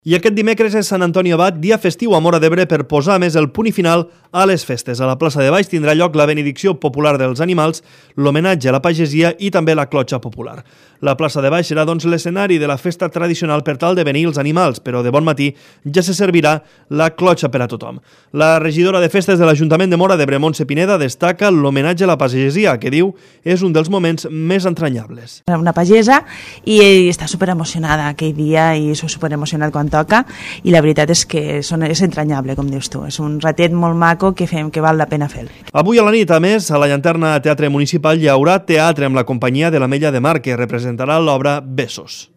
I aquest dimecres és Sant Antoni Abat, dia festiu a Móra d'Ebre per posar més el punt i final a les festes. A la plaça de Baix tindrà lloc la benedicció popular dels animals, l'homenatge a la pagesia i també la clotxa popular. La plaça de Baix serà doncs l'escenari de la festa tradicional per tal de benir els animals, però de bon matí ja se servirà la clotxa per a tothom. La regidora de festes de l'Ajuntament de Móra d'Ebre, Montse Pineda, destaca l'homenatge a la pagesia, que diu és un dels moments més entranyables. Una pagesa i està superemocionada aquell dia i és superemocionat quan toca i la veritat és que és entranyable, com dius tu. És un ratet molt maco que fem que val la pena fer. Avui a la nit, a més, a la Llanterna Teatre Municipal hi haurà teatre amb la companyia de l'Ametlla de Mar, que representarà l'obra Besos.